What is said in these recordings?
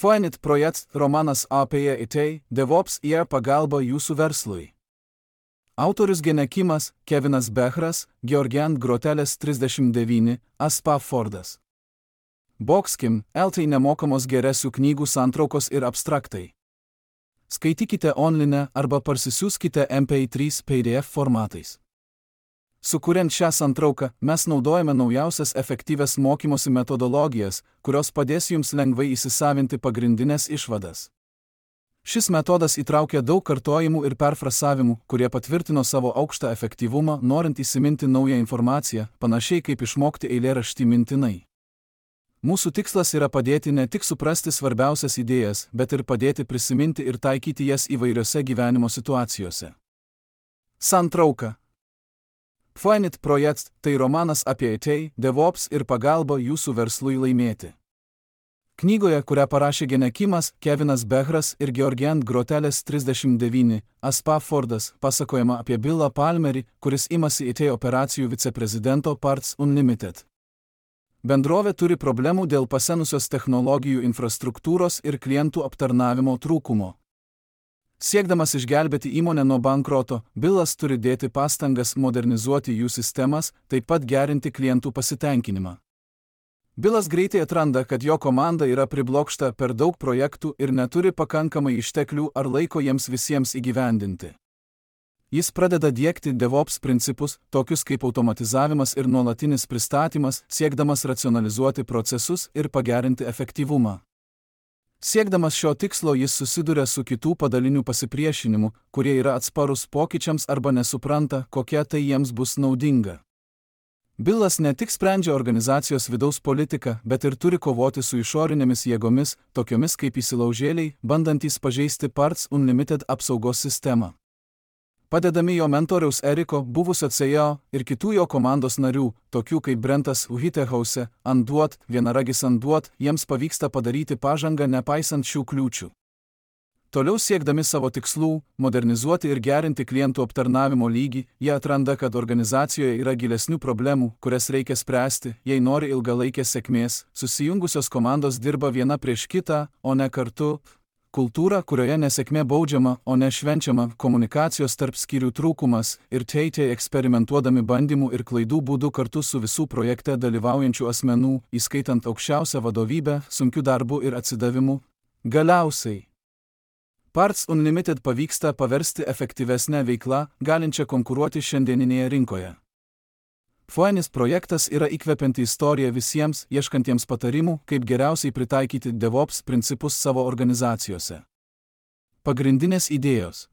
Phoenix projektas romanas apie IT, DevOps ir pagalba jūsų verslui. Autorius Genekimas, Kevinas Behras, Georgian Grotelės 39, Aspa Fordas. Boxkim, LT nemokamos geresių knygų santraukos ir abstraktai. Skaitykite online arba parsisiųskite MP3 PDF formatais. Sukuriant šią santrauką, mes naudojame naujausias efektyvias mokymosi metodologijas, kurios padės jums lengvai įsisavinti pagrindinės išvadas. Šis metodas įtraukia daug kartojimų ir perfrasavimų, kurie patvirtino savo aukštą efektyvumą, norint įsiminti naują informaciją, panašiai kaip išmokti eilėraštį mintinai. Mūsų tikslas yra padėti ne tik suprasti svarbiausias idėjas, bet ir padėti prisiminti ir taikyti jas įvairiose gyvenimo situacijose. Santrauka. Phoenix projektas – tai romanas apie IT, DevOps ir pagalbą jūsų verslui laimėti. Knygoje, kurią parašė Genekimas, Kevinas Behras ir Georgian Grotelės 39, Aspa Fordas, pasakojama apie Billą Palmerį, kuris imasi IT operacijų viceprezidento Parts Unlimited. Bendrovė turi problemų dėl pasenusios technologijų infrastruktūros ir klientų aptarnavimo trūkumo. Siekdamas išgelbėti įmonę nuo bankroto, Billas turi dėti pastangas modernizuoti jų sistemas, taip pat gerinti klientų pasitenkinimą. Billas greitai atranda, kad jo komanda yra priblokšta per daug projektų ir neturi pakankamai išteklių ar laiko jiems visiems įgyvendinti. Jis pradeda diegti DevOps principus, tokius kaip automatizavimas ir nuolatinis pristatymas, siekdamas racionalizuoti procesus ir pagerinti efektyvumą. Siekdamas šio tikslo jis susiduria su kitų padalinių pasipriešinimu, kurie yra atsparus pokyčiams arba nesupranta, kokia tai jiems bus naudinga. Billas ne tik sprendžia organizacijos vidaus politiką, bet ir turi kovoti su išorinėmis jėgomis, tokiomis kaip įsilaužėliai, bandantys pažeisti Parts Unlimited apsaugos sistemą. Padedami jo mentoriaus Eriko, buvusio CEO ir kitų jo komandos narių, tokių kaip Brentas Whitehouse, Anduot, vienaragis Anduot, jiems pavyksta padaryti pažangą nepaisant šių kliūčių. Toliau siekdami savo tikslų, modernizuoti ir gerinti klientų aptarnavimo lygį, jie atranda, kad organizacijoje yra gilesnių problemų, kurias reikia spręsti, jei nori ilgalaikės sėkmės, susijungusios komandos dirba viena prieš kitą, o ne kartu. Kultūra, kurioje nesėkmė baudžiama, o ne švenčiama, komunikacijos tarp skyrių trūkumas ir teitė eksperimentuodami bandymų ir klaidų būdu kartu su visų projekte dalyvaujančių asmenų, įskaitant aukščiausią vadovybę, sunkiu darbu ir atsidavimu. Galiausiai. Parts Unlimited pavyksta paversti efektyvesnę veiklą, galinčią konkuruoti šiandieninėje rinkoje. Phoenix projektas yra įkvepianti istorija visiems, ieškantiems patarimų, kaip geriausiai pritaikyti DevOps principus savo organizacijose. Pagrindinės idėjos.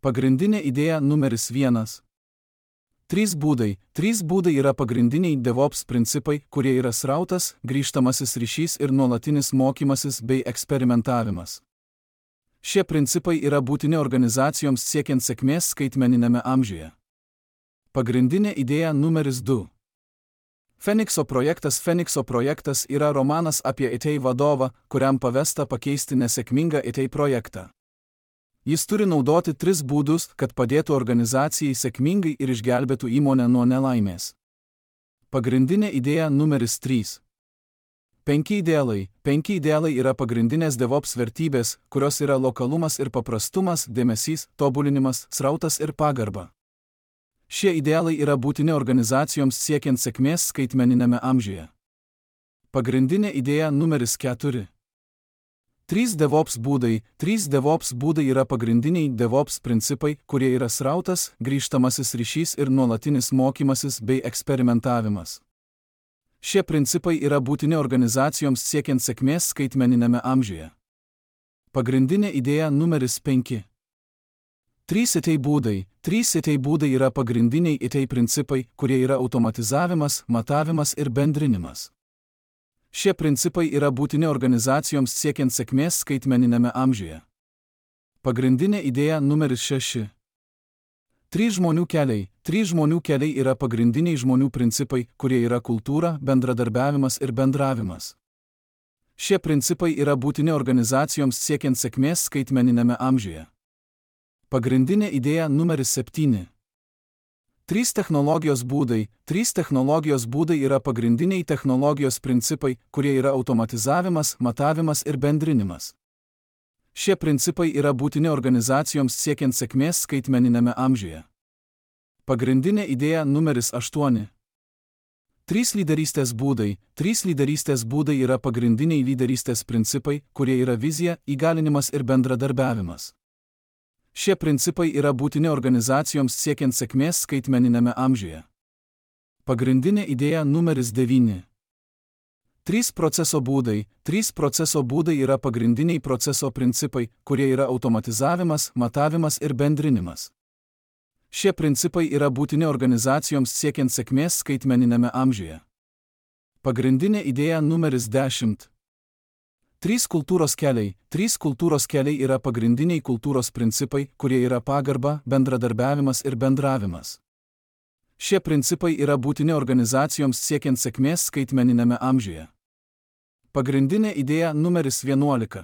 Pagrindinė idėja numeris 1. 3 būdai. 3 būdai yra pagrindiniai DevOps principai, kurie yra srautas, grįžtamasis ryšys ir nuolatinis mokymasis bei eksperimentavimas. Šie principai yra būtini organizacijoms siekiant sėkmės skaitmeniniame amžiuje. Pagrindinė idėja numeris 2. Phoenixo projektas yra romanas apie IT vadovą, kuriam pavesta pakeisti nesėkmingą IT projektą. Jis turi naudoti 3 būdus, kad padėtų organizacijai sėkmingai ir išgelbėtų įmonę nuo nelaimės. Pagrindinė idėja numeris 3. 5 idealai. 5 idealai yra pagrindinės DevOps vertybės, kurios yra lokalumas ir paprastumas, dėmesys, tobulinimas, srautas ir pagarba. Šie idealai yra būtini organizacijoms siekiant sėkmės skaitmeninėme amžiuje. Pagrindinė idėja numeris 4. 3 DevOps būdai. 3 DevOps būdai yra pagrindiniai DevOps principai, kurie yra srautas, grįžtamasis ryšys ir nuolatinis mokymasis bei eksperimentavimas. Šie principai yra būtini organizacijoms siekiant sėkmės skaitmeninėme amžiuje. Pagrindinė idėja numeris 5. 3 IT būdai. 3 IT būdai yra pagrindiniai IT principai, kurie yra automatizavimas, matavimas ir bendrinimas. Šie principai yra būtini organizacijoms siekiant sėkmės skaitmeninėme amžiuje. Pagrindinė idėja numeris 6. 3 žmonių keliai. 3 žmonių keliai yra pagrindiniai žmonių principai, kurie yra kultūra, bendradarbiavimas ir bendravimas. Šie principai yra būtini organizacijoms siekiant sėkmės skaitmeninėme amžiuje. Pagrindinė idėja numeris 7. Trys technologijos būdai. Trys technologijos būdai yra pagrindiniai technologijos principai, kurie yra automatizavimas, matavimas ir bendrinimas. Šie principai yra būtini organizacijoms siekiant sėkmės skaitmeniniame amžiuje. Pagrindinė idėja numeris 8. Trys lyderystės būdai. Trys lyderystės būdai yra pagrindiniai lyderystės principai, kurie yra vizija, įgalinimas ir bendradarbiavimas. Šie principai yra būtini organizacijoms siekiant sėkmės skaitmeniname amžiuje. Pagrindinė idėja numeris 9. Trys proceso būdai. Trys proceso būdai yra pagrindiniai proceso principai, kurie yra automatizavimas, matavimas ir bendrinimas. Šie principai yra būtini organizacijoms siekiant sėkmės skaitmeniname amžiuje. Pagrindinė idėja numeris 10. Trys kultūros keliai. Trys kultūros keliai yra pagrindiniai kultūros principai, kurie yra pagarba, bendradarbiavimas ir bendravimas. Šie principai yra būtini organizacijoms siekiant sėkmės skaitmeniname amžiuje. Pagrindinė idėja numeris 11.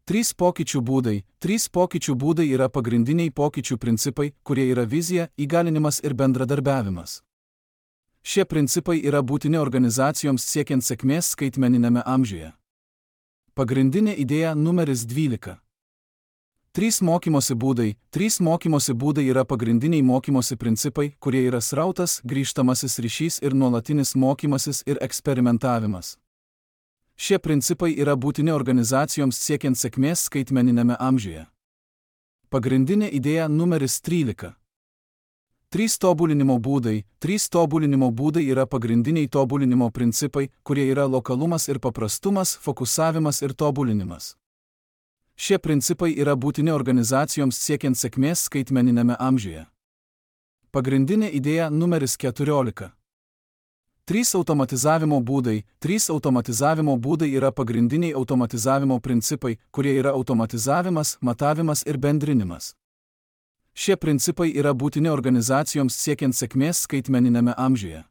Trys pokyčių būdai. Trys pokyčių būdai yra pagrindiniai pokyčių principai, kurie yra vizija, įgalinimas ir bendradarbiavimas. Šie principai yra būtini organizacijoms siekiant sėkmės skaitmeniname amžiuje. Pagrindinė idėja numeris 12. Trys mokymosi būdai. Trys mokymosi būdai yra pagrindiniai mokymosi principai, kurie yra srautas, grįžtamasis ryšys ir nuolatinis mokymasis ir eksperimentavimas. Šie principai yra būtini organizacijoms siekiant sėkmės skaitmeniname amžiuje. Pagrindinė idėja numeris 13. Trys tobulinimo būdai. Trys tobulinimo būdai yra pagrindiniai tobulinimo principai, kurie yra lokalumas ir paprastumas, fokusavimas ir tobulinimas. Šie principai yra būtini organizacijoms siekiant sėkmės skaitmeniname amžiuje. Pagrindinė idėja numeris 14. Trys automatizavimo būdai. Trys automatizavimo būdai yra pagrindiniai automatizavimo principai, kurie yra automatizavimas, matavimas ir bendrinimas. Šie principai yra būtini organizacijoms siekiant sėkmės skaitmeniname amžiuje.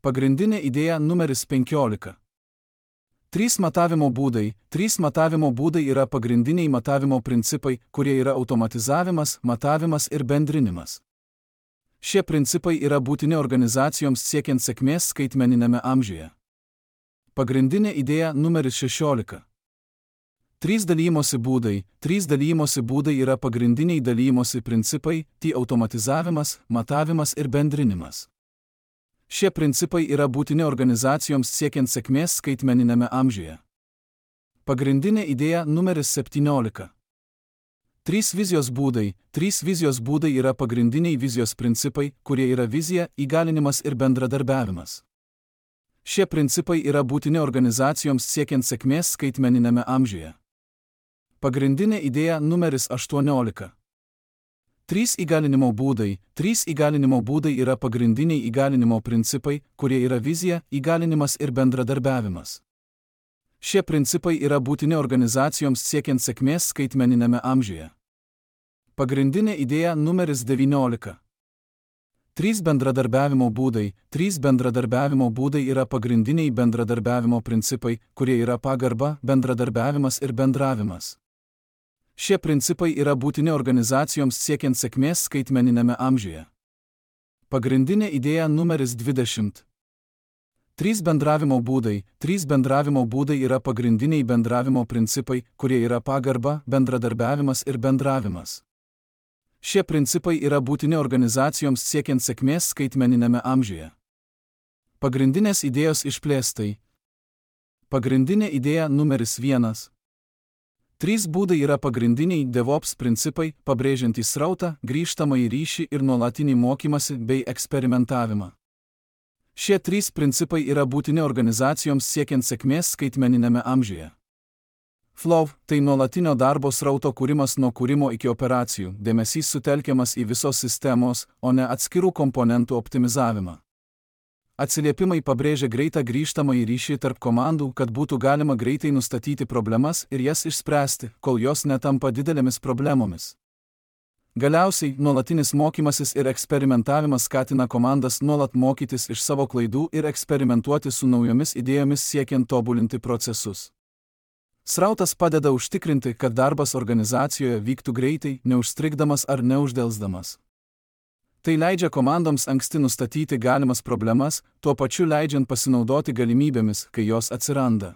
Pagrindinė idėja numeris 15. Trys matavimo būdai. Trys matavimo būdai yra pagrindiniai matavimo principai, kurie yra automatizavimas, matavimas ir bendrinimas. Šie principai yra būtini organizacijoms siekiant sėkmės skaitmeniname amžiuje. Pagrindinė idėja numeris 16. Trys dalymosi būdai. Trys dalymosi būdai yra pagrindiniai dalymosi principai, automatizavimas, matavimas ir bendrinimas. Šie principai yra būtini organizacijoms siekiant sėkmės skaitmeniname amžiuje. Pagrindinė idėja numeris 17. Trys vizijos būdai. Trys vizijos būdai yra pagrindiniai vizijos principai, kurie yra vizija, įgalinimas ir bendradarbiavimas. Šie principai yra būtini organizacijoms siekiant sėkmės skaitmeniname amžiuje. Pagrindinė idėja numeris 18. Trys įgalinimo būdai. Trys įgalinimo būdai yra pagrindiniai įgalinimo principai, kurie yra vizija, įgalinimas ir bendradarbiavimas. Šie principai yra būtini organizacijoms siekiant sėkmės skaitmeniname amžiuje. Pagrindinė idėja numeris 19. Trys bendradarbiavimo būdai. Trys bendradarbiavimo būdai yra pagrindiniai bendradarbiavimo principai, kurie yra pagarba, bendradarbiavimas ir bendravimas. Šie principai yra būtini organizacijoms siekiant sėkmės skaitmeniname amžiuje. Pagrindinė idėja numeris 20. Trys bendravimo būdai. Trys bendravimo būdai yra pagrindiniai bendravimo principai, kurie yra pagarba, bendradarbiavimas ir bendravimas. Šie principai yra būtini organizacijoms siekiant sėkmės skaitmeniname amžiuje. Pagrindinės idėjos išplėstai. Pagrindinė idėja numeris 1. Trys būdai yra pagrindiniai DevOps principai, pabrėžiantys srautą, grįžtamąjį ryšį ir nuolatinį mokymąsi bei eksperimentavimą. Šie trys principai yra būtini organizacijoms siekiant sėkmės skaitmeniname amžiuje. Flow – tai nuolatinio darbo srauto kūrimas nuo kūrimo iki operacijų, dėmesys sutelkiamas į visos sistemos, o ne atskirų komponentų optimizavimą. Atsiliepimai pabrėžia greitą grįžtamąjį ryšį tarp komandų, kad būtų galima greitai nustatyti problemas ir jas išspręsti, kol jos netampa didelėmis problemomis. Galiausiai, nuolatinis mokymasis ir eksperimentavimas skatina komandas nuolat mokytis iš savo klaidų ir eksperimentuoti su naujomis idėjomis siekiant tobulinti procesus. Srautas padeda užtikrinti, kad darbas organizacijoje vyktų greitai, neužstrigdamas ar neuždelsdamas. Tai leidžia komandoms anksti nustatyti galimas problemas, tuo pačiu leidžiant pasinaudoti galimybėmis, kai jos atsiranda.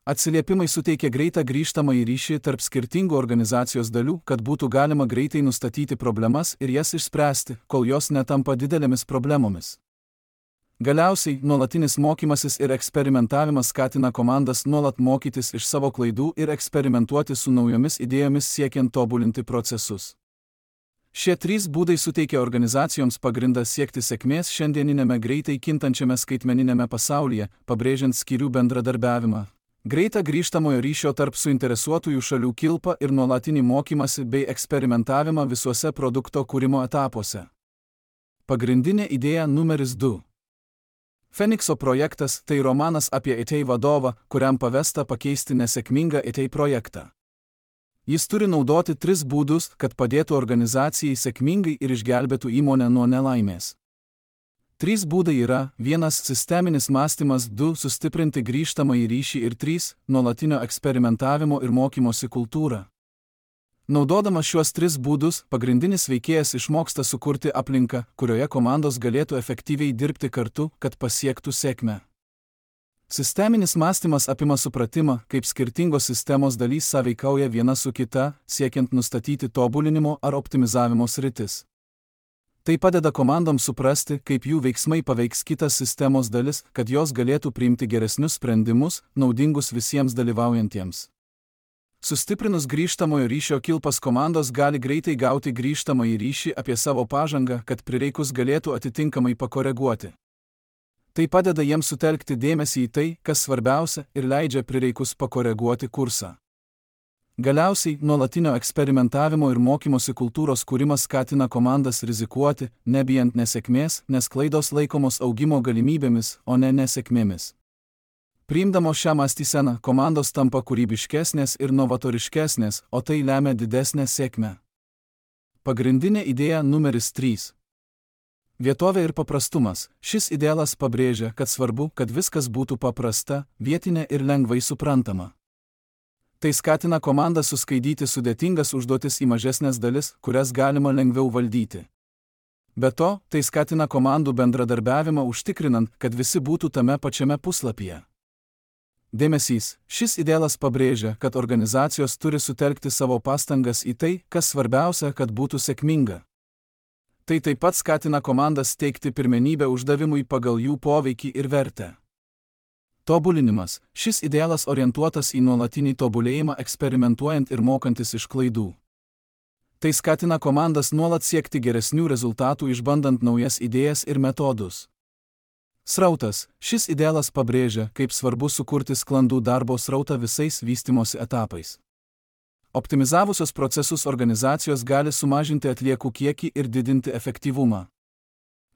Atsiliepimai suteikia greitą grįžtamąjį ryšį tarp skirtingų organizacijos dalių, kad būtų galima greitai nustatyti problemas ir jas išspręsti, kol jos netampa didelėmis problemomis. Galiausiai, nuolatinis mokymasis ir eksperimentavimas skatina komandas nuolat mokytis iš savo klaidų ir eksperimentuoti su naujomis idėjomis siekiant tobulinti procesus. Šie 3 būdai suteikia organizacijoms pagrindą siekti sėkmės šiandieninėme greitai kintančiame skaitmeninėme pasaulyje, pabrėžiant skyrių bendradarbiavimą, greitą grįžtamojo ryšio tarp suinteresuotųjų šalių kilpą ir nuolatinį mokymąsi bei eksperimentavimą visuose produkto kūrimo etapuose. Pagrindinė idėja numeris 2. Fenikso projektas – tai romanas apie IT vadovą, kuriam pavesta pakeisti nesėkmingą IT projektą. Jis turi naudoti 3 būdus, kad padėtų organizacijai sėkmingai ir išgelbėtų įmonę nuo nelaimės. 3 būdai yra: 1. Sisteminis mąstymas, 2. Sustiprinti grįžtamąjį ryšį ir 3. Nuolatinio eksperimentavimo ir mokymosi kultūra. Naudodamas šiuos 3 būdus, pagrindinis veikėjas išmoksta sukurti aplinką, kurioje komandos galėtų efektyviai dirbti kartu, kad pasiektų sėkmę. Sisteminis mąstymas apima supratimą, kaip skirtingos sistemos dalys sąveikauja viena su kita, siekiant nustatyti tobulinimo ar optimizavimo sritis. Tai padeda komandoms suprasti, kaip jų veiksmai paveiks kitas sistemos dalis, kad jos galėtų priimti geresnius sprendimus, naudingus visiems dalyvaujantiems. Sustiprinus grįžtamojo ryšio kilpas, komandos gali greitai gauti grįžtamąjį ryšį apie savo pažangą, kad prireikus galėtų atitinkamai pakoreguoti. Tai padeda jiems sutelkti dėmesį į tai, kas svarbiausia, ir leidžia prireikus pakoreguoti kursą. Galiausiai, nuolatinio eksperimentavimo ir mokymosi kultūros kūrimas skatina komandas rizikuoti, nebijant nesėkmės, nes klaidos laikomos augimo galimybėmis, o ne nesėkmėmis. Priimdamos šią mąstyseną, komandos tampa kūrybiškesnės ir novatoriškesnės, o tai lemia didesnę sėkmę. Pagrindinė idėja numeris 3. Vietovė ir paprastumas. Šis idealas pabrėžia, kad svarbu, kad viskas būtų paprasta, vietinė ir lengvai suprantama. Tai skatina komandą suskaidyti sudėtingas užduotis į mažesnės dalis, kurias galima lengviau valdyti. Be to, tai skatina komandų bendradarbiavimą užtikrinant, kad visi būtų tame pačiame puslapyje. Dėmesys. Šis idealas pabrėžia, kad organizacijos turi sutelkti savo pastangas į tai, kas svarbiausia, kad būtų sėkminga. Tai taip pat skatina komandas teikti pirmenybę uždavimui pagal jų poveikį ir vertę. Tobulinimas. Šis idealas orientuotas į nuolatinį tobulėjimą, eksperimentuojant ir mokantis iš klaidų. Tai skatina komandas nuolat siekti geresnių rezultatų, išbandant naujas idėjas ir metodus. Srautas. Šis idealas pabrėžia, kaip svarbu sukurti sklandų darbo srautą visais vystymosi etapais. Optimizavusios procesus organizacijos gali sumažinti atliekų kiekį ir didinti efektyvumą.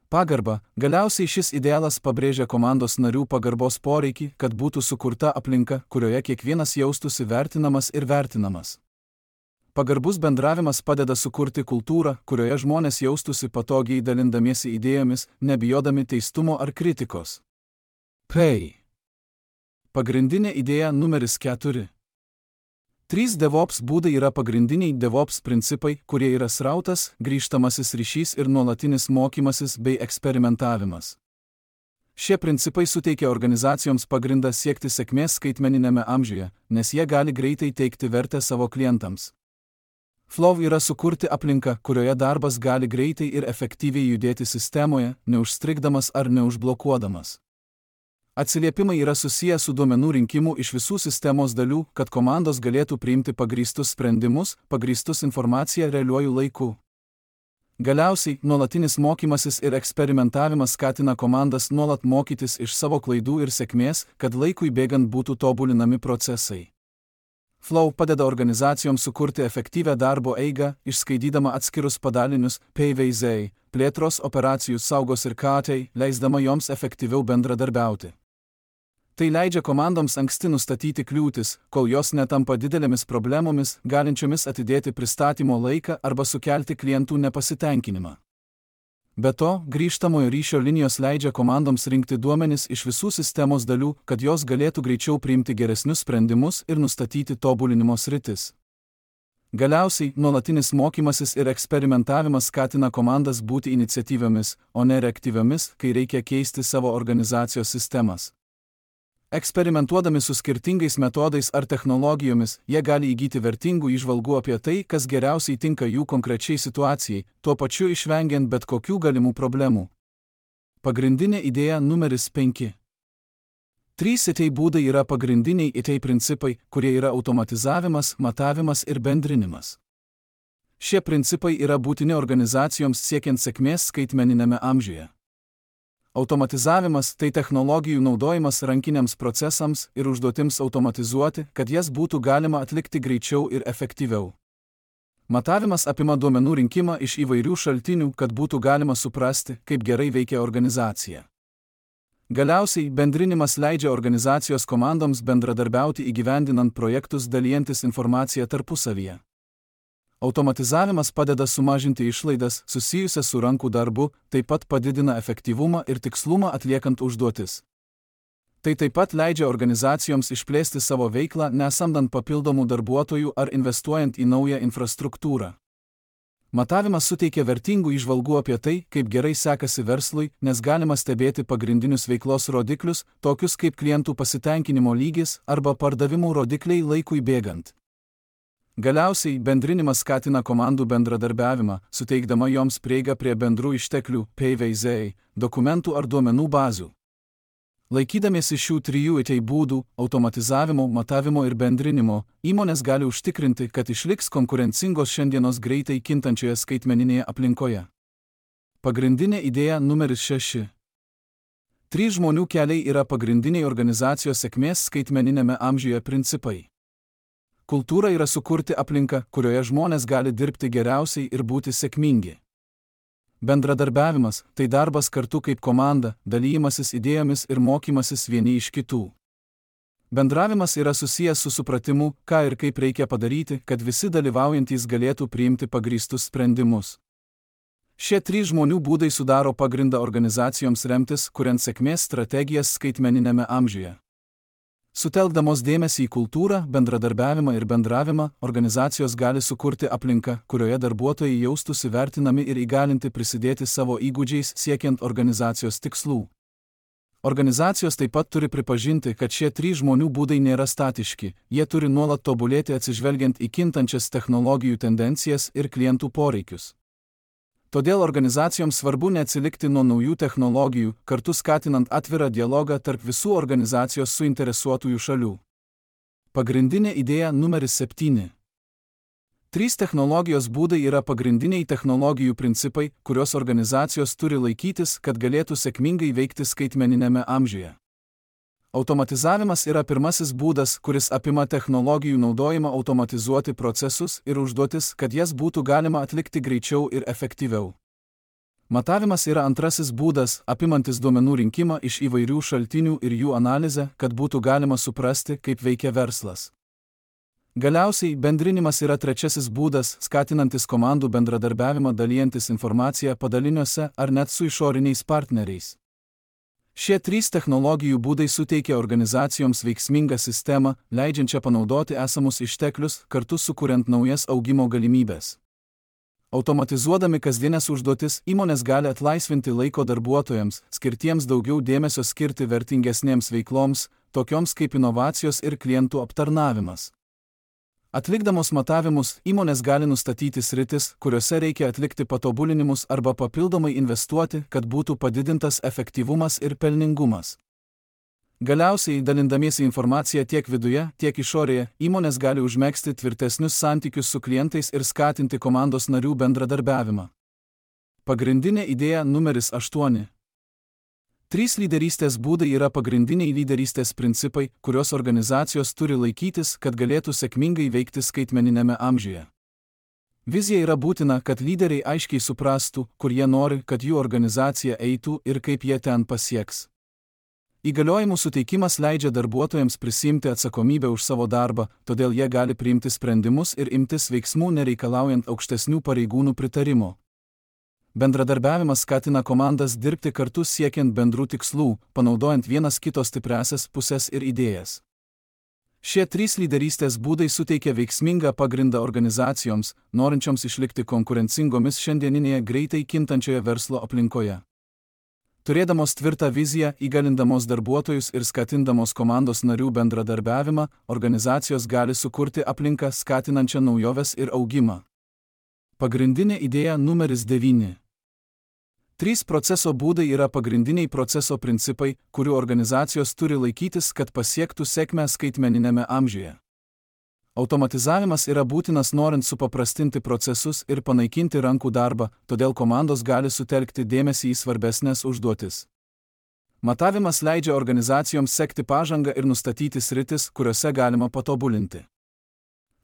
Pagarba. Galiausiai šis idealas pabrėžia komandos narių pagarbos poreikį, kad būtų sukurta aplinka, kurioje kiekvienas jaustųsi vertinamas ir vertinamas. Pagarbus bendravimas padeda sukurti kultūrą, kurioje žmonės jaustųsi patogiai dalindamiesi idėjomis, nebijodami teistumo ar kritikos. Pagrindinė idėja numeris 4. 3 DevOps būdai yra pagrindiniai DevOps principai, kurie yra srautas, grįžtamasis ryšys ir nuolatinis mokymasis bei eksperimentavimas. Šie principai suteikia organizacijoms pagrindą siekti sėkmės skaitmeninėme amžiuje, nes jie gali greitai teikti vertę savo klientams. Flow yra sukurti aplinką, kurioje darbas gali greitai ir efektyviai judėti sistemoje, neužstrigdamas ar neužblokuodamas. Atsiliepimai yra susiję su duomenų rinkimu iš visų sistemos dalių, kad komandos galėtų priimti pagrįstus sprendimus, pagrįstus informaciją realiuoju laiku. Galiausiai, nuolatinis mokymasis ir eksperimentavimas skatina komandas nuolat mokytis iš savo klaidų ir sėkmės, kad laikui bėgant būtų tobulinami procesai. Flow padeda organizacijoms sukurti efektyvią darbo eigą, išskaidydama atskirus padalinius, PVZ, plėtros operacijų saugos ir KT, leisdama joms efektyviau bendradarbiauti. Tai leidžia komandoms anksti nustatyti kliūtis, kol jos netampa didelėmis problemomis, galinčiomis atidėti pristatymo laiką arba sukelti klientų nepasitenkinimą. Be to, grįžtamojo ryšio linijos leidžia komandoms rinkti duomenis iš visų sistemos dalių, kad jos galėtų greičiau priimti geresnius sprendimus ir nustatyti tobulinimo sritis. Galiausiai, nuolatinis mokymasis ir eksperimentavimas skatina komandas būti iniciatyviomis, o ne reaktyviomis, kai reikia keisti savo organizacijos sistemas. Eksperimentuodami su skirtingais metodais ar technologijomis, jie gali įgyti vertingų įžvalgų apie tai, kas geriausiai tinka jų konkrečiai situacijai, tuo pačiu išvengiant bet kokių galimų problemų. Pagrindinė idėja numeris 5. 3 ITEI būdai yra pagrindiniai ITEI principai, kurie yra automatizavimas, matavimas ir bendrinimas. Šie principai yra būtini organizacijoms siekiant sėkmės skaitmeniniame amžiuje. Automatizavimas – tai technologijų naudojimas rankiniams procesams ir užduotims automatizuoti, kad jas būtų galima atlikti greičiau ir efektyviau. Matavimas apima duomenų rinkimą iš įvairių šaltinių, kad būtų galima suprasti, kaip gerai veikia organizacija. Galiausiai, bendrinimas leidžia organizacijos komandoms bendradarbiauti įgyvendinant projektus dalijantis informaciją tarpusavyje. Automatizavimas padeda sumažinti išlaidas susijusias su rankų darbu, taip pat padidina efektyvumą ir tikslumą atliekant užduotis. Tai taip pat leidžia organizacijoms išplėsti savo veiklą, nesamdant papildomų darbuotojų ar investuojant į naują infrastruktūrą. Matavimas suteikia vertingų įžvalgų apie tai, kaip gerai sekasi verslui, nes galima stebėti pagrindinius veiklos rodiklius, tokius kaip klientų pasitenkinimo lygis arba pardavimų rodikliai laikui bėgant. Galiausiai, bendrinimas skatina komandų bendradarbiavimą, suteikdama joms prieigą prie bendrų išteklių, PVZ, dokumentų ar duomenų bazių. Laikydamiesi šių 3 ITEI būdų – automatizavimo, matavimo ir bendrinimo – įmonės gali užtikrinti, kad išliks konkurencingos šiandienos greitai kintančioje skaitmeninėje aplinkoje. Pagrindinė idėja numeris 6. 3 žmonių keliai yra pagrindiniai organizacijos sėkmės skaitmeninėme amžiuje principai. Kultūra yra sukurti aplinką, kurioje žmonės gali dirbti geriausiai ir būti sėkmingi. Bendradarbiavimas – tai darbas kartu kaip komanda, dalijimasis idėjomis ir mokymasis vieni iš kitų. Bendravimas yra susijęs su supratimu, ką ir kaip reikia padaryti, kad visi dalyvaujantys galėtų priimti pagrįstus sprendimus. Šie 3 žmonių būdai sudaro pagrindą organizacijoms remtis, kuriant sėkmės strategijas skaitmeninėme amžiuje. Sutelkdamos dėmesį į kultūrą, bendradarbiavimą ir bendravimą, organizacijos gali sukurti aplinką, kurioje darbuotojai jaustųsi vertinami ir įgalinti prisidėti savo įgūdžiais siekiant organizacijos tikslų. Organizacijos taip pat turi pripažinti, kad šie 3 žmonių būdai nėra statiški, jie turi nuolat tobulėti atsižvelgiant į kintančias technologijų tendencijas ir klientų poreikius. Todėl organizacijoms svarbu neatsilikti nuo naujų technologijų, kartu skatinant atvirą dialogą tarp visų organizacijos suinteresuotųjų šalių. Pagrindinė idėja numeris 7. 3 technologijos būdai yra pagrindiniai technologijų principai, kurios organizacijos turi laikytis, kad galėtų sėkmingai veikti skaitmeninėme amžiuje. Automatizavimas yra pirmasis būdas, kuris apima technologijų naudojimą automatizuoti procesus ir užduotis, kad jas būtų galima atlikti greičiau ir efektyviau. Matavimas yra antrasis būdas, apimantis duomenų rinkimą iš įvairių šaltinių ir jų analizę, kad būtų galima suprasti, kaip veikia verslas. Galiausiai, bendrinimas yra trečiasis būdas, skatinantis komandų bendradarbiavimą dalijantis informaciją padaliniuose ar net su išoriniais partneriais. Šie 3 technologijų būdai suteikia organizacijoms veiksmingą sistemą, leidžiančią panaudoti esamus išteklius, kartu sukuriant naujas augimo galimybes. Automatizuodami kasdienės užduotis, įmonės gali atlaisvinti laiko darbuotojams, skirtiems daugiau dėmesio skirti vertingesnėms veikloms, tokioms kaip inovacijos ir klientų aptarnavimas. Atlikdamos matavimus, įmonės gali nustatyti sritis, kuriuose reikia atlikti patobulinimus arba papildomai investuoti, kad būtų padidintas efektyvumas ir pelningumas. Galiausiai, dalindamiesi informaciją tiek viduje, tiek išorėje, įmonės gali užmegzti tvirtesnius santykius su klientais ir skatinti komandos narių bendradarbiavimą. Pagrindinė idėja numeris 8. 3 lyderystės būdai yra pagrindiniai lyderystės principai, kurios organizacijos turi laikytis, kad galėtų sėkmingai veikti skaitmeninėme amžiuje. Vizija yra būtina, kad lyderiai aiškiai suprastų, kur jie nori, kad jų organizacija eitų ir kaip jie ten pasieks. Įgaliojimų suteikimas leidžia darbuotojams prisiimti atsakomybę už savo darbą, todėl jie gali priimti sprendimus ir imtis veiksmų nereikalaujant aukštesnių pareigūnų pritarimo. Bendradarbiavimas skatina komandas dirbti kartu siekiant bendrų tikslų, panaudojant vienas kito stipriąsias pusės ir idėjas. Šie 3 lyderystės būdai suteikia veiksmingą pagrindą organizacijoms, norinčioms išlikti konkurencingomis šiandieninėje greitai kintančioje verslo aplinkoje. Turėdamos tvirtą viziją, įgalindamos darbuotojus ir skatindamos komandos narių bendradarbiavimą, organizacijos gali sukurti aplinką skatinančią naujoves ir augimą. Pagrindinė idėja numeris 9. 3 proceso būdai yra pagrindiniai proceso principai, kurių organizacijos turi laikytis, kad pasiektų sėkmę skaitmeniniame amžiuje. Automatizavimas yra būtinas norint supaprastinti procesus ir panaikinti rankų darbą, todėl komandos gali sutelkti dėmesį į svarbesnės užduotis. Matavimas leidžia organizacijoms sekti pažangą ir nustatyti sritis, kuriuose galima patobulinti.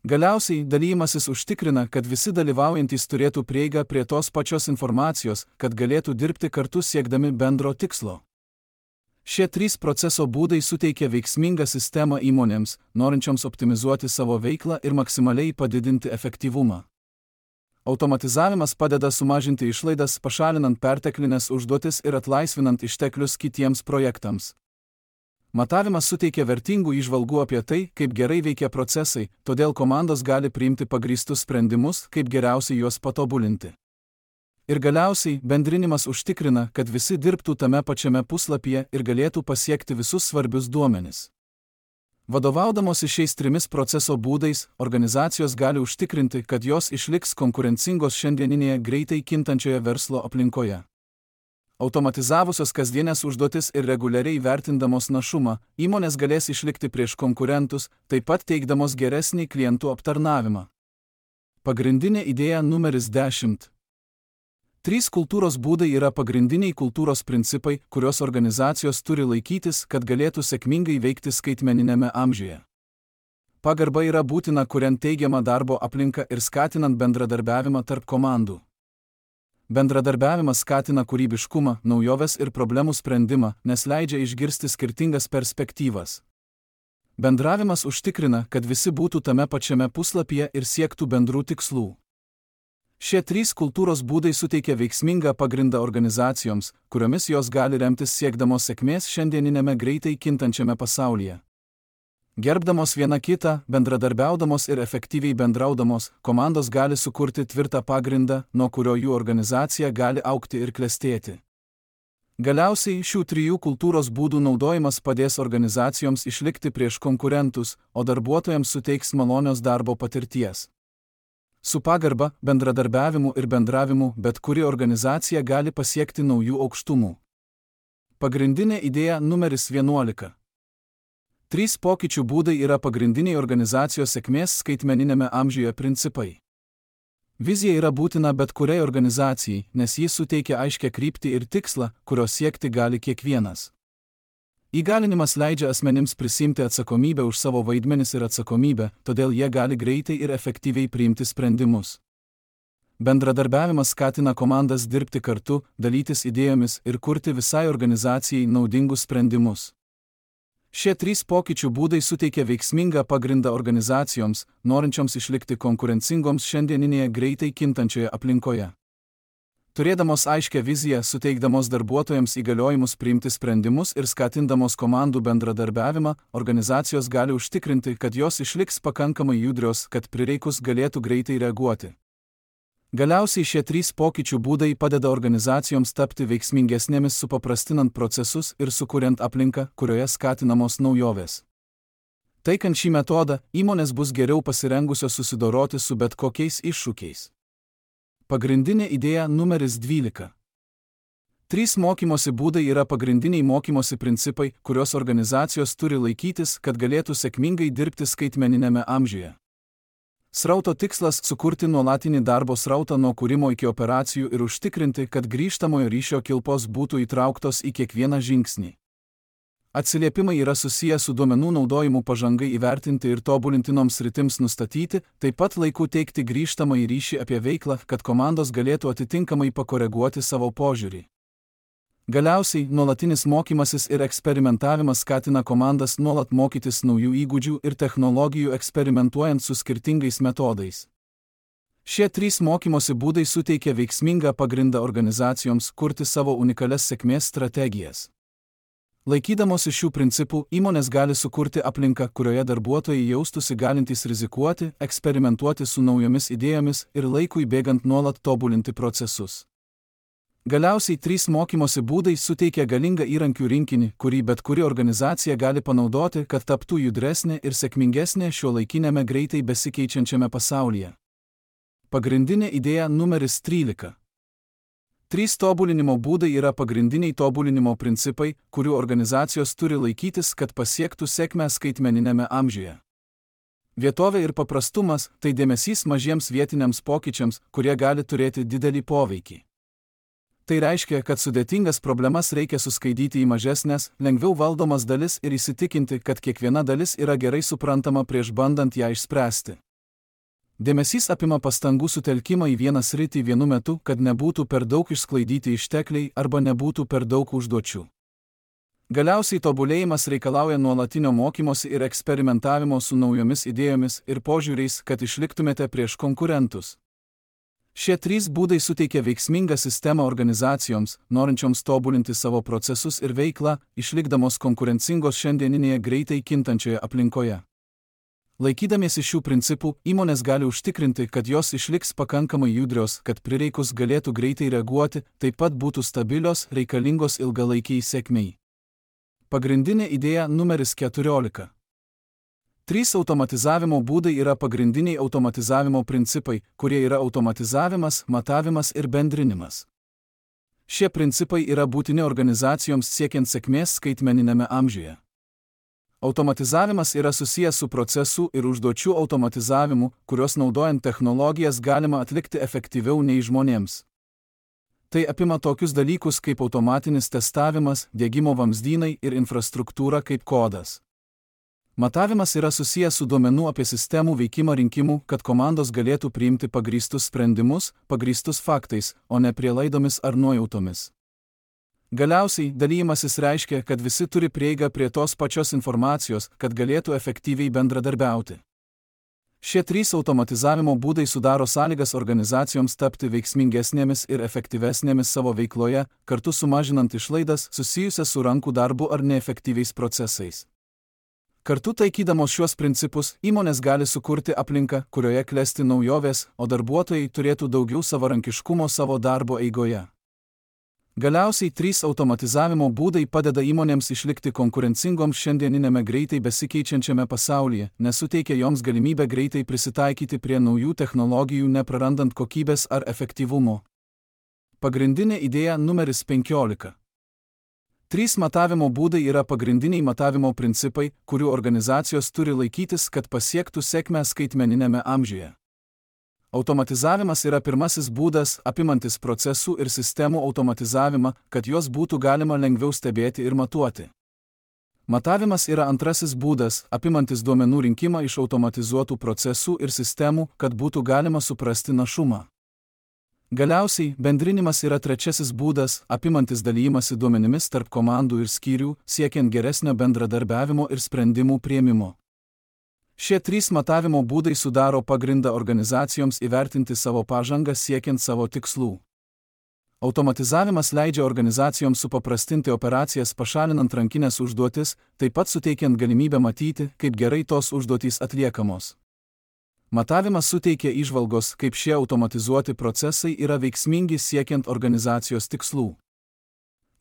Galiausiai, dalijimasis užtikrina, kad visi dalyvaujantys turėtų prieigą prie tos pačios informacijos, kad galėtų dirbti kartu siekdami bendro tikslo. Šie 3 proceso būdai suteikia veiksmingą sistemą įmonėms, norinčioms optimizuoti savo veiklą ir maksimaliai padidinti efektyvumą. Automatizavimas padeda sumažinti išlaidas, pašalinant perteklinės užduotis ir atlaisvinant išteklius kitiems projektams. Matavimas suteikia vertingų įžvalgų apie tai, kaip gerai veikia procesai, todėl komandos gali priimti pagrįstus sprendimus, kaip geriausiai juos patobulinti. Ir galiausiai, bendrinimas užtikrina, kad visi dirbtų tame pačiame puslapyje ir galėtų pasiekti visus svarbius duomenis. Vadovaudamosi šiais 3 proceso būdais, organizacijos gali užtikrinti, kad jos išliks konkurencingos šiandieninėje greitai kintančioje verslo aplinkoje. Automatizavusios kasdienės užduotis ir reguliariai vertindamos našumą, įmonės galės išlikti prieš konkurentus, taip pat teikdamos geresnį klientų aptarnavimą. Pagrindinė idėja numeris 10. 3 kultūros būdai yra pagrindiniai kultūros principai, kurios organizacijos turi laikytis, kad galėtų sėkmingai veikti skaitmeniniame amžiuje. Pagarba yra būtina, kuriant teigiamą darbo aplinką ir skatinant bendradarbiavimą tarp komandų. Bendradarbiavimas skatina kūrybiškumą, naujoves ir problemų sprendimą, nes leidžia išgirsti skirtingas perspektyvas. Bendravimas užtikrina, kad visi būtų tame pačiame puslapyje ir siektų bendrų tikslų. Šie 3 kultūros būdai suteikia veiksmingą pagrindą organizacijoms, kuriomis jos gali remtis siekdamos sėkmės šiandieninėme greitai kintančiame pasaulyje. Gerbdamos viena kitą, bendradarbiaudamos ir efektyviai bendraudamos, komandos gali sukurti tvirtą pagrindą, nuo kurio jų organizacija gali augti ir klestėti. Galiausiai šių 3 kultūros būdų naudojimas padės organizacijoms išlikti prieš konkurentus, o darbuotojams suteiks malonios darbo patirties. Su pagarba, bendradarbiavimu ir bendravimu bet kuri organizacija gali pasiekti naujų aukštumų. Pagrindinė idėja numeris 11. 3 pokyčių būdai yra pagrindiniai organizacijos sėkmės skaitmeninėme amžiuje principai. Vizija yra būtina bet kuriai organizacijai, nes ji suteikia aiškią kryptį ir tikslą, kurio siekti gali kiekvienas. Įgalinimas leidžia asmenims prisimti atsakomybę už savo vaidmenis ir atsakomybę, todėl jie gali greitai ir efektyviai priimti sprendimus. Bendradarbiavimas skatina komandas dirbti kartu, dalytis idėjomis ir kurti visai organizacijai naudingus sprendimus. Šie 3 pokyčių būdai suteikia veiksmingą pagrindą organizacijoms, norinčioms išlikti konkurencingoms šiandieninėje greitai kintančioje aplinkoje. Turėdamos aiškią viziją, suteikdamos darbuotojams įgaliojimus priimti sprendimus ir skatindamos komandų bendradarbiavimą, organizacijos gali užtikrinti, kad jos išliks pakankamai judrios, kad prireikus galėtų greitai reaguoti. Galiausiai šie 3 pokyčių būdai padeda organizacijoms tapti veiksmingesnėmis supaprastinant procesus ir sukuriant aplinką, kurioje skatinamos naujovės. Taikant šį metodą, įmonės bus geriau pasirengusios susidoroti su bet kokiais iššūkiais. Pagrindinė idėja numeris 12. 3 mokymosi būdai yra pagrindiniai mokymosi principai, kurios organizacijos turi laikytis, kad galėtų sėkmingai dirbti skaitmeninėme amžiuje. Srauto tikslas – sukurti nuolatinį darbo srautą nuo kūrimo iki operacijų ir užtikrinti, kad grįžtamojo ryšio kilpos būtų įtrauktos į kiekvieną žingsnį. Atsiliepimai yra susiję su duomenų naudojimu pažangai įvertinti ir tobulintinoms sritims nustatyti, taip pat laiku teikti grįžtamąjį ryšį apie veiklą, kad komandos galėtų atitinkamai pakoreguoti savo požiūrį. Galiausiai, nuolatinis mokymasis ir eksperimentavimas skatina komandas nuolat mokytis naujų įgūdžių ir technologijų eksperimentuojant su skirtingais metodais. Šie 3 mokymosi būdai suteikia veiksmingą pagrindą organizacijoms kurti savo unikalias sėkmės strategijas. Laikydamosi šių principų, įmonės gali sukurti aplinką, kurioje darbuotojai jaustųsi galintys rizikuoti, eksperimentuoti su naujomis idėjomis ir laikui bėgant nuolat tobulinti procesus. Galiausiai 3 mokymosi būdai suteikia galingą įrankių rinkinį, kurį bet kuri organizacija gali panaudoti, kad taptų judresnė ir sėkmingesnė šiuolaikinėme greitai besikeičiančiame pasaulyje. Pagrindinė idėja numeris 13. 3 tobulinimo būdai yra pagrindiniai tobulinimo principai, kurių organizacijos turi laikytis, kad pasiektų sėkmę skaitmeninėme amžiuje. Vietovė ir paprastumas – tai dėmesys mažiems vietiniams pokyčiams, kurie gali turėti didelį poveikį. Tai reiškia, kad sudėtingas problemas reikia suskaidyti į mažesnės, lengviau valdomas dalis ir įsitikinti, kad kiekviena dalis yra gerai suprantama prieš bandant ją išspręsti. Dėmesys apima pastangų sutelkimą į vieną sritį vienu metu, kad nebūtų per daug išsklaidyti ištekliai arba nebūtų per daug užduočių. Galiausiai tobulėjimas reikalauja nuolatinio mokymosi ir eksperimentavimo su naujomis idėjomis ir požiūriais, kad išliktumėte prieš konkurentus. Šie 3 būdai suteikia veiksmingą sistemą organizacijoms, norinčioms tobulinti savo procesus ir veiklą, išlikdamos konkurencingos šiandieninėje greitai kintančioje aplinkoje. Laikydamiesi šių principų, įmonės gali užtikrinti, kad jos išliks pakankamai judrios, kad prireikus galėtų greitai reaguoti, taip pat būtų stabilios, reikalingos ilgalaikiai sėkmei. Pagrindinė idėja numeris 14. 3 automatizavimo būdai yra pagrindiniai automatizavimo principai, kurie yra automatizavimas, matavimas ir bendrinimas. Šie principai yra būtini organizacijoms siekiant sėkmės skaitmeninėme amžiuje. Automatizavimas yra susijęs su procesų ir užduočių automatizavimu, kurios naudojant technologijas galima atlikti efektyviau nei žmonėms. Tai apima tokius dalykus kaip automatinis testavimas, diegimo vamzdynai ir infrastruktūra kaip kodas. Matavimas yra susijęs su duomenų apie sistemų veikimą rinkimu, kad komandos galėtų priimti pagrįstus sprendimus, pagrįstus faktais, o ne prielaidomis ar nuojautomis. Galiausiai, dalijimasis reiškia, kad visi turi prieigą prie tos pačios informacijos, kad galėtų efektyviai bendradarbiauti. Šie 3 automatizavimo būdai sudaro sąlygas organizacijoms tapti veiksmingesnėmis ir efektyvesnėmis savo veikloje, kartu sumažinant išlaidas susijusias su rankų darbu ar neefektyviais procesais. Kartu taikydamos šiuos principus, įmonės gali sukurti aplinką, kurioje klesti naujovės, o darbuotojai turėtų daugiau savarankiškumo savo darbo eigoje. Galiausiai 3 automatizavimo būdai padeda įmonėms išlikti konkurencingoms šiandieninėme greitai besikeičiančiame pasaulyje, nes suteikia joms galimybę greitai prisitaikyti prie naujų technologijų, neprarandant kokybės ar efektyvumo. Pagrindinė idėja numeris 15. 3 matavimo būdai yra pagrindiniai matavimo principai, kurių organizacijos turi laikytis, kad pasiektų sėkmę skaitmeninėme amžiuje. Automatizavimas yra pirmasis būdas, apimantis procesų ir sistemų automatizavimą, kad juos būtų galima lengviau stebėti ir matuoti. Matavimas yra antrasis būdas, apimantis duomenų rinkimą iš automatizuotų procesų ir sistemų, kad būtų galima suprasti našumą. Galiausiai, bendrinimas yra trečiasis būdas, apimantis dalijimąsi duomenimis tarp komandų ir skyrių, siekiant geresnio bendradarbiavimo ir sprendimų priėmimo. Šie 3 matavimo būdai sudaro pagrindą organizacijoms įvertinti savo pažangą siekiant savo tikslų. Automatizavimas leidžia organizacijoms supaprastinti operacijas pašalinant rankinės užduotis, taip pat suteikiant galimybę matyti, kaip gerai tos užduotys atliekamos. Matavimas suteikia įžvalgos, kaip šie automatizuoti procesai yra veiksmingi siekiant organizacijos tikslų.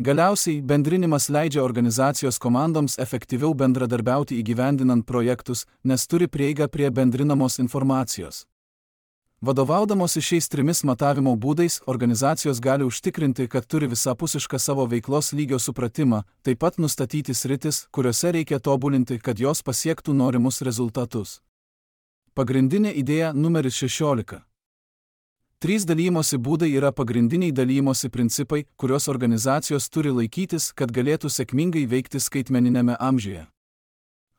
Galiausiai, bendrinimas leidžia organizacijos komandoms efektyviau bendradarbiauti įgyvendinant projektus, nes turi prieigą prie bendrinamos informacijos. Vadovaudamosi šiais 3 matavimo būdais, organizacijos gali užtikrinti, kad turi visapusišką savo veiklos lygio supratimą, taip pat nustatyti sritis, kuriuose reikia tobulinti, kad jos pasiektų norimus rezultatus. Pagrindinė idėja numeris 16. 3 dalymosi būdai yra pagrindiniai dalymosi principai, kurios organizacijos turi laikytis, kad galėtų sėkmingai veikti skaitmeninėme amžiuje.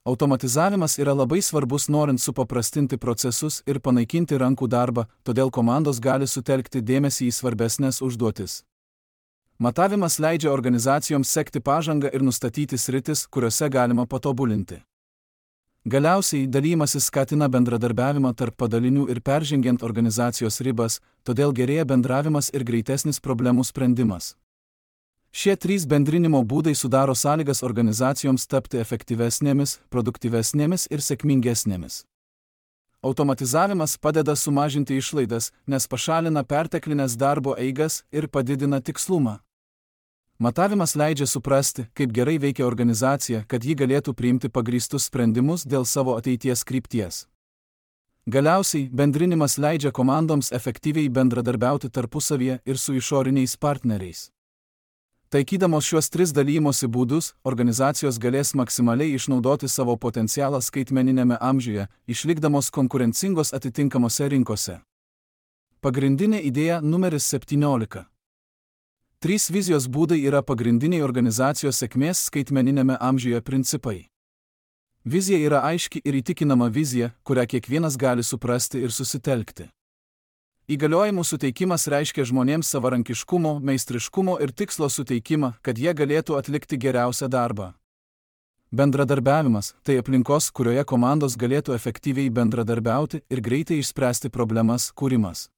Automatizavimas yra labai svarbus norint supaprastinti procesus ir panaikinti rankų darbą, todėl komandos gali sutelkti dėmesį į svarbesnės užduotis. Matavimas leidžia organizacijoms sekti pažangą ir nustatyti sritis, kuriuose galima patobulinti. Galiausiai, dalymasis skatina bendradarbiavimą tarp padalinių ir peržengiant organizacijos ribas, todėl gerėja bendravimas ir greitesnis problemų sprendimas. Šie trys bendrinimo būdai sudaro sąlygas organizacijoms tapti efektyvesnėmis, produktyvesnėmis ir sėkmingesnėmis. Automatizavimas padeda sumažinti išlaidas, nes pašalina perteklinės darbo eigas ir padidina tikslumą. Matavimas leidžia suprasti, kaip gerai veikia organizacija, kad ji galėtų priimti pagrįstus sprendimus dėl savo ateities krypties. Galiausiai, bendrinimas leidžia komandoms efektyviai bendradarbiauti tarpusavyje ir su išoriniais partneriais. Taikydamos šiuos tris dalymosi būdus, organizacijos galės maksimaliai išnaudoti savo potencialą skaitmeniniame amžiuje, išlikdamos konkurencingos atitinkamose rinkose. Pagrindinė idėja numeris 17. 3 vizijos būdai yra pagrindiniai organizacijos sėkmės skaitmeninėme amžiuje principai. Vizija yra aiški ir įtikinama vizija, kurią kiekvienas gali suprasti ir susitelkti. Įgaliojimų suteikimas reiškia žmonėms savarankiškumo, meistriškumo ir tikslo suteikimą, kad jie galėtų atlikti geriausią darbą. Bendradarbiavimas – tai aplinkos, kurioje komandos galėtų efektyviai bendradarbiauti ir greitai išspręsti problemas kūrimas.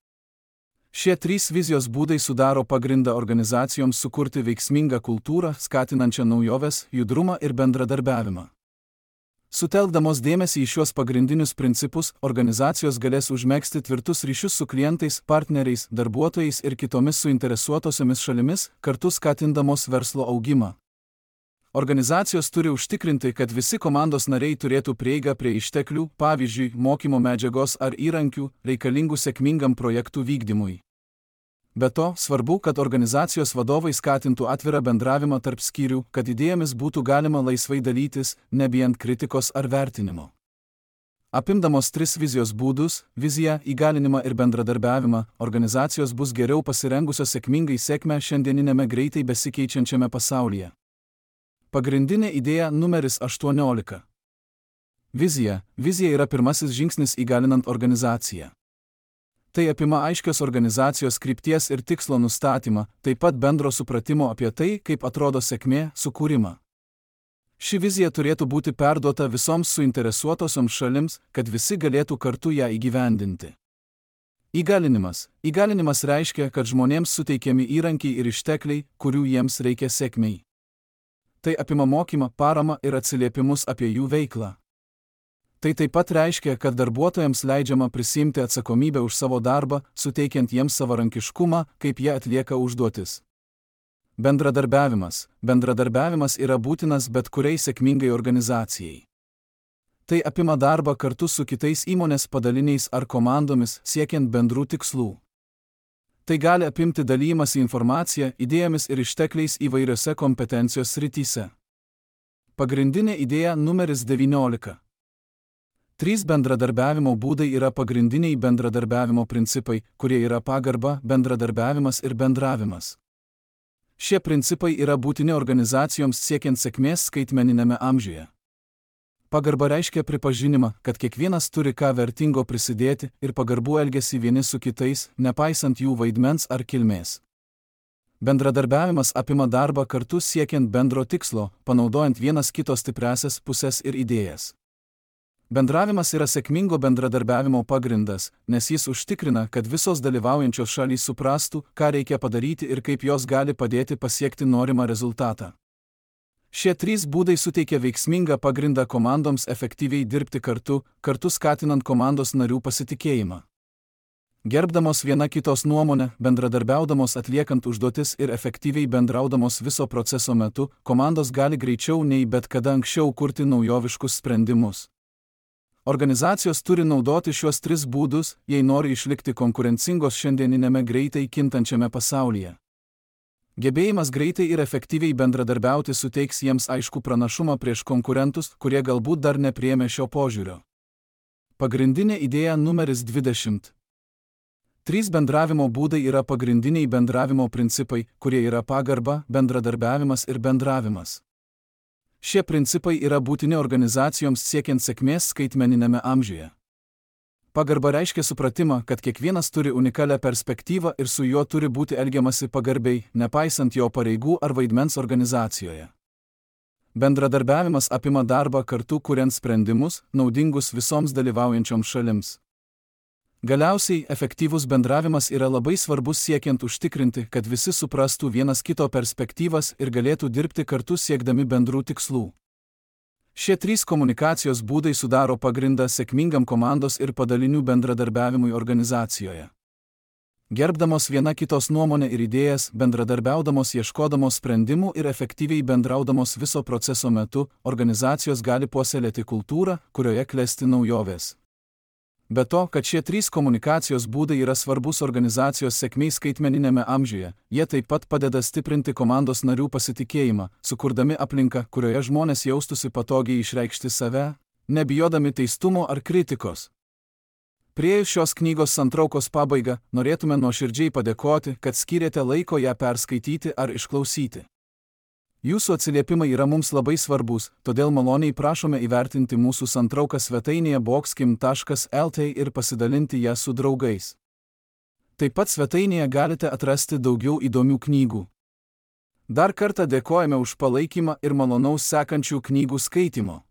Šie 3 vizijos būdai sudaro pagrindą organizacijoms sukurti veiksmingą kultūrą, skatinančią naujoves, judrumą ir bendradarbiavimą. Sutelkdamos dėmesį į šiuos pagrindinius principus, organizacijos galės užmegzti tvirtus ryšius su klientais, partneriais, darbuotojais ir kitomis suinteresuotosiomis šalimis, kartu skatindamos verslo augimą. Organizacijos turi užtikrinti, kad visi komandos nariai turėtų prieigą prie išteklių, pavyzdžiui, mokymo medžiagos ar įrankių, reikalingų sėkmingam projektų vykdymui. Be to, svarbu, kad organizacijos vadovai skatintų atvirą bendravimą tarp skyrių, kad idėjomis būtų galima laisvai dalytis, nebijant kritikos ar vertinimo. Apimdamos 3 vizijos būdus – viziją, įgalinimą ir bendradarbiavimą – organizacijos bus geriau pasirengusios sėkmingai sėkmę šiandieninėme greitai besikeičiančiame pasaulyje. Pagrindinė idėja numeris 18. Vizija. Vizija yra pirmasis žingsnis įgalinant organizaciją. Tai apima aiškios organizacijos krypties ir tikslo nustatymą, taip pat bendro supratimo apie tai, kaip atrodo sėkmė, sukūrimą. Ši vizija turėtų būti perduota visoms suinteresuotosioms šalims, kad visi galėtų kartu ją įgyvendinti. Įgalinimas. Įgalinimas reiškia, kad žmonėms suteikiami įrankiai ir ištekliai, kurių jiems reikia sėkmei. Tai apima mokymą, paramą ir atsiliepimus apie jų veiklą. Tai taip pat reiškia, kad darbuotojams leidžiama prisiimti atsakomybę už savo darbą, suteikiant jiems savarankiškumą, kaip jie atlieka užduotis. Bendradarbiavimas. Bendradarbiavimas yra būtinas bet kuriai sėkmingai organizacijai. Tai apima darbą kartu su kitais įmonės padaliniais ar komandomis, siekiant bendrų tikslų. Tai gali apimti dalymąsi informaciją, idėjomis ir ištekliais įvairiose kompetencijos srityse. Pagrindinė idėja numeris 19. 3 bendradarbiavimo būdai yra pagrindiniai bendradarbiavimo principai, kurie yra pagarba, bendradarbiavimas ir bendravimas. Šie principai yra būtini organizacijoms siekiant sėkmės skaitmeninėme amžiuje. Pagarba reiškia pripažinimą, kad kiekvienas turi ką vertingo prisidėti ir pagarbų elgesį vieni su kitais, nepaisant jų vaidmens ar kilmės. Bendradarbiavimas apima darbą kartu siekiant bendro tikslo, panaudojant vienas kito stipriąsias puses ir idėjas. Bendravimas yra sėkmingo bendradarbiavimo pagrindas, nes jis užtikrina, kad visos dalyvaujančios šalys suprastų, ką reikia padaryti ir kaip jos gali padėti pasiekti norimą rezultatą. Šie 3 būdai suteikia veiksmingą pagrindą komandoms efektyviai dirbti kartu skatinant komandos narių pasitikėjimą. Gerbdamos viena kitos nuomonę, bendradarbiaudamos atliekant užduotis ir efektyviai bendraudamos viso proceso metu, komandos gali greičiau nei bet kada anksčiau kurti naujoviškus sprendimus. Organizacijos turi naudoti šiuos 3 būdus, jei nori išlikti konkurencingos šiandieninėme greitai kintančiame pasaulyje. Gebėjimas greitai ir efektyviai bendradarbiauti suteiks jiems aiškų pranašumą prieš konkurentus, kurie galbūt dar nepriėmė šio požiūrio. Pagrindinė idėja numeris 20. 3 bendravimo būdai yra pagrindiniai bendravimo principai, kurie yra pagarba, bendradarbiavimas ir bendravimas. Šie principai yra būtini organizacijoms siekiant sėkmės skaitmeninėme amžiuje. Pagarba reiškia supratimą, kad kiekvienas turi unikalią perspektyvą ir su juo turi būti elgiamasi pagarbiai, nepaisant jo pareigų ar vaidmens organizacijoje. Bendradarbiavimas apima darbą kartu kuriant sprendimus, naudingus visoms dalyvaujančioms šalims. Galiausiai, efektyvus bendravimas yra labai svarbus siekiant užtikrinti, kad visi suprastų vienas kito perspektyvas ir galėtų dirbti kartu siekdami bendrų tikslų. Šie 3 komunikacijos būdai sudaro pagrindą sėkmingam komandos ir padalinių bendradarbiavimui organizacijoje. Gerbdamos viena kitos nuomonę ir idėjas, bendradarbiaudamos ieškodamos sprendimų ir efektyviai bendraudamos viso proceso metu, organizacijos gali puoselėti kultūrą, kurioje klesti naujovės. Be to, kad šie 3 komunikacijos būdai yra svarbus organizacijos sėkmei skaitmeninėme amžiuje, jie taip pat padeda stiprinti komandos narių pasitikėjimą, sukurdami aplinką, kurioje žmonės jaustųsi patogiai išreikšti save, nebijodami teistumo ar kritikos. Priėjus šios knygos santraukos pabaigą, norėtume nuoširdžiai padėkoti, kad skyrėte laiko ją perskaityti ar išklausyti. Jūsų atsiliepimai yra mums labai svarbus, todėl maloniai prašome įvertinti mūsų santrauką svetainėje boxkim.lt ir pasidalinti ją su draugais. Taip pat svetainėje galite atrasti daugiau įdomių knygų. Dar kartą dėkojame už palaikymą ir malonaus sekančių knygų skaitimo.